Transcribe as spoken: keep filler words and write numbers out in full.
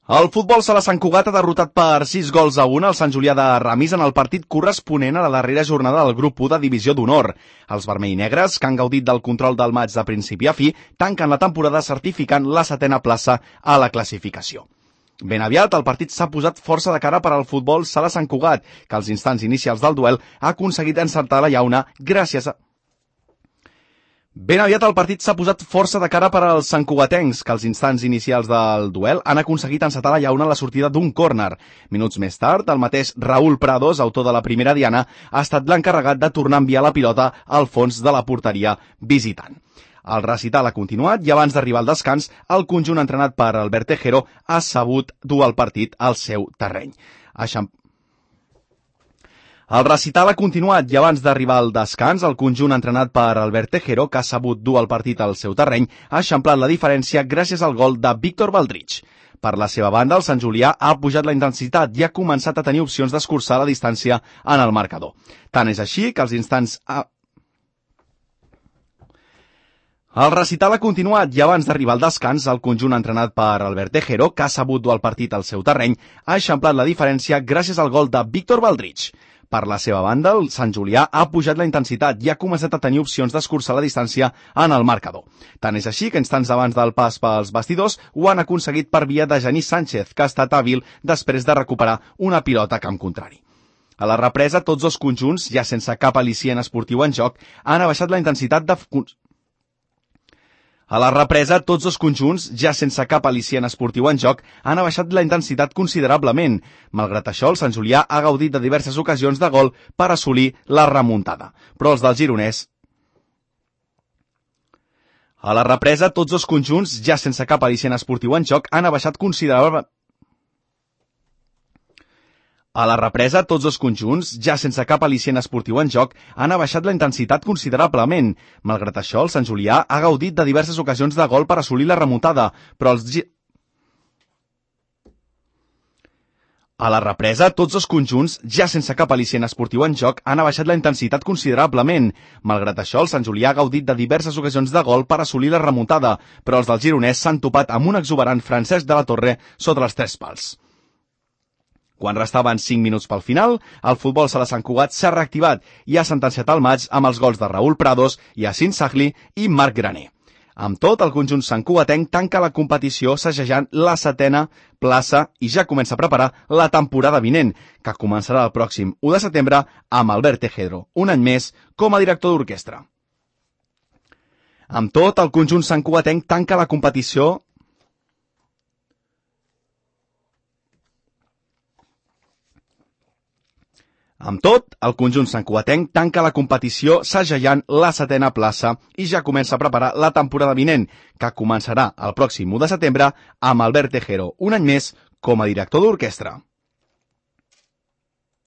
El futbol sala Sant Cugat ha derrotat per sis gols a un al Sant Julià de Ramis en el partit corresponent a la darrera jornada del grup u de Divisió d'Honor. Els vermell i negres, que han gaudit del control del maig de principi a fi, tanquen la temporada certificant la setena plaça a la classificació. Ben aviat, el partit s'ha posat força de cara per al futbol sala Sant Cugat, que als instants inicials del duel ha aconseguit encertar la llauna gràcies a... Ben aviat el partit s'ha posat força de cara per als santcugatencs, que als instants inicials del duel han aconseguit encetar la llauna a la sortida d'un córner. Minuts més tard, el mateix Raúl Prados, autor de la primera diana, ha estat l'encarregat de tornar a enviar la pilota al fons de la porteria visitant. El recital ha continuat i abans d'arribar al descans, el conjunt entrenat per Albert Tejero ha sabut dur el partit al seu terreny. Aixam... El recital ha continuat i abans d'arribar al descans, el conjunt entrenat per Albert Tejero, que ha sabut dur el partit al seu terreny, ha eixamplat la diferència gràcies al gol de Víctor Baldrich. Per la seva banda, el Sant Julià ha pujat la intensitat i ha començat a tenir opcions d'escurçar la distància en el marcador. Tant és així que als instants... Ha... El recital ha continuat i abans d'arribar al descans, el conjunt entrenat per Albert Tejero, que ha sabut dur el partit al seu terreny, ha eixamplat la diferència gràcies al gol de Víctor Baldrich. Per la seva banda, el Sant Julià ha pujat la intensitat i ha començat a tenir opcions d'escurçar la distància en el marcador. Tant és així que instants abans del pas pels bastidors ho han aconseguit per via de Genís Sánchez, que ha estat hàbil després de recuperar una pilota a camp contrari. A la represa, tots dos conjunts, ja sense cap al·licient esportiu en joc, han abaixat la intensitat de... A la represa, tots dos conjunts, ja sense cap al·licient esportiu en joc, han abaixat la intensitat considerablement. Malgrat això, el Sant Julià ha gaudit de diverses ocasions de gol per assolir la remuntada. Però els del gironès... A la represa, tots dos conjunts, ja sense cap al·licient esportiu en joc, han abaixat considerablement... A la represa, tots dos conjunts, ja sense cap al·licient esportiu en joc, han abaixat la intensitat considerablement. Malgrat això, el Sant Julià ha gaudit de diverses ocasions de gol per assolir la remuntada, però els... A la represa, tots dos conjunts, ja sense cap al·licient esportiu en joc, han abaixat la intensitat considerablement. Malgrat això, el Sant Julià ha gaudit de diverses ocasions de gol per assolir la remuntada, però els del gironès s'han topat amb un exuberant Francesc de la Torre sota els tres pals. Quan restaven cinc minuts pel final, el futbol sala Sant Cugat s'ha reactivat i ha sentenciat el maig amb els gols de Raúl Prados, Yacine Sagli i Marc Graner. Amb tot, el conjunt santcugatenc tanca la competició segellant la setena plaça i ja comença a preparar la temporada vinent, que començarà el pròxim u de setembre amb Albert Tejero, un any més com a director d'orquestra. Amb tot, el conjunt santcugatenc tanca la competició Amb tot, el conjunt santcugatenc tanca la competició segellant la setena plaça i ja comença a preparar la temporada vinent, que començarà el pròxim u de setembre amb Albert Tejero, un any més com a director d'orquestra.